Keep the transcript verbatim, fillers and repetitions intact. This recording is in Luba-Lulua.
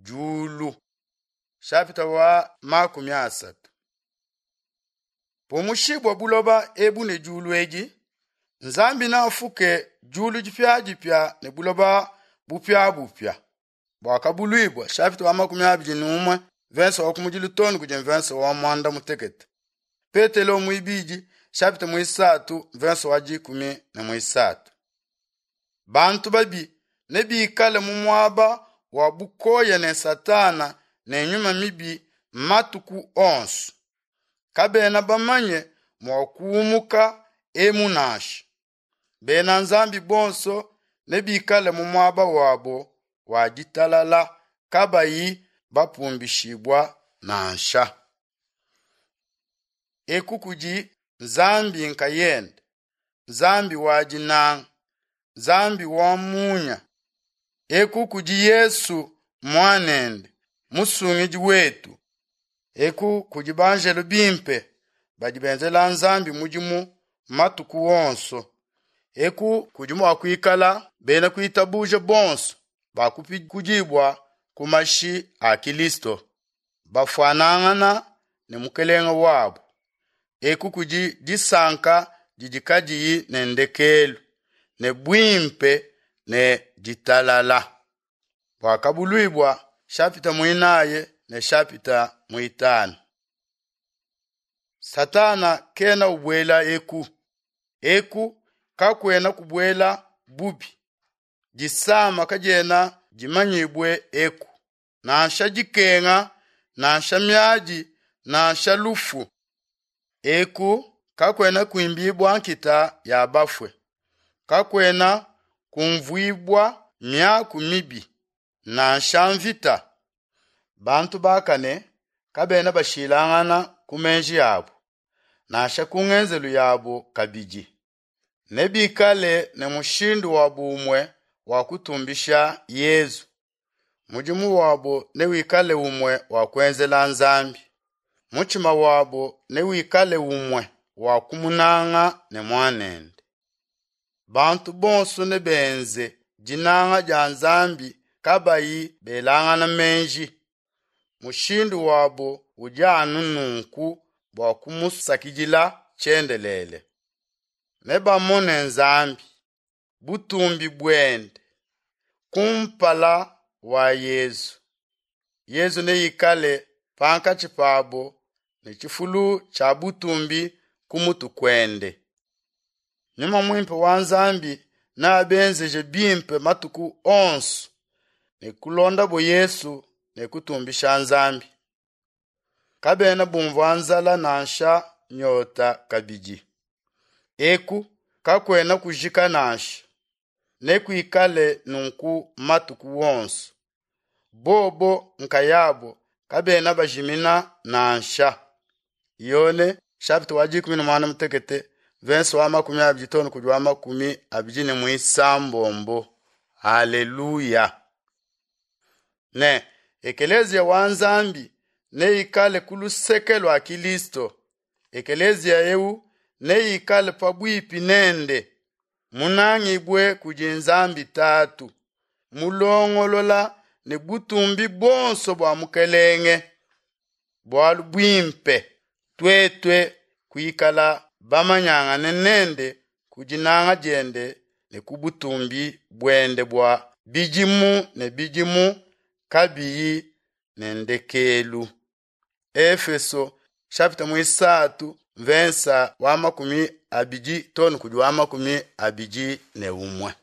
Diulu. Shapita wa makumi asatu. Pumushibua buloba ebu ne diulu edi, Nzambi neafuke diulu dipiadipia ne buloba bupiabupia. Buakabuluibua shapita wa makumi abidi ne umue verse wa kumudilu too kudi verse wa mwanda mutekete. Petelo muibidi shapita muisatu verse wa dikumi ne muisatu. Bantu babi nebikale mu muaba wa bukoya ne Satana ne nyuma mibi matuku onso. Kabena bamanye mua kuumuka emu nansha. Bena Nzambi bonso nebikale mu muaba wabo wa ditalala kabayi bapumbishibua nansha. Eku kudi Nzambi nkayende, Nzambi wa dinanga, Nzambi wa munya. Eku kudi Yesu mwanende, musungidi wetu. Eku kudi banjelo bimpe badi benzela Nzambi mudimu matuku wonso. Eku kudi mua kuikala bena kuitabuja bonso bakupikudibua ku mashi a Kilisto, bafuanangana ne mukelenge wabo. Eku kudi disanka didi kadiyi ne ndekelu, ne buimpe ne ditalala. Buakabuluibua shapita muinayi ne shapita muitanu. Satana kena ubuela eku. Eku kakuena kubuela bubi. Disama kadiena dimanyibue eku. Nansha dikenga, nansha miadi, nansha lufu. Eku kakuena kuimbibua nkita ya bafue. Kakuena kumvuibua miaku mibi, nansha mvita. Bantu bakane kabena bashilangana ku menji yabo, nansha ku ngenzelu yabo kabidi. Nebikale ne mushindu wa bumue wa kutumbisha Yezu. Mudimu wabo newikale umue wa kuenzela Nzambi. Mutshima wabo newikale umue wa kumunanga ne mwanende. Bantu bonso nebenze dinanga dia Nzambi kabayi belangana menji. Mushindu wabo udi anu nunku bua kumusakidila tshiendelele. Nebamone Nzambi, butumbi buende, kumpala wa Yezu. Yezu neikale pankatshi pabo ne tshifulu tshia butumbi ku mutu kuende. Nyuma muimpe wa Nzambi neabenzeje bimpe matuku onso ne kulondabo Yesu ne kutumbisha Nzambi. Kabena bumvua nzala nansha nyota kabidi. Eku kakuena kujika nansha. Nekuikale nunku matuku wonso. Bobo nkayabo kabena bajimina nansha. Yone chapitre wa dikumi na mwanda mutekete verse wa makumi abidi too kudi wa makumi abidi ne muisambombo. Haleluya. Ne ekelezia wa Nzambi neikale ku luseke lua Kilisto. Ekelezia eu neikale pabuipi nende, munangibue kudi Nzambi Tatu, mulongolola ne butumbi bonso bua mukelenge. Bualu buimpe tuetue kuikala bamanyangane nende ku dinanga diende ne ku butumbi buende bua bidimu ne bidimu kabiyi ne ndekelu. Efeso chapitre muisatu verse wa makumi abidi too kudi wa makumi abidi ne umue.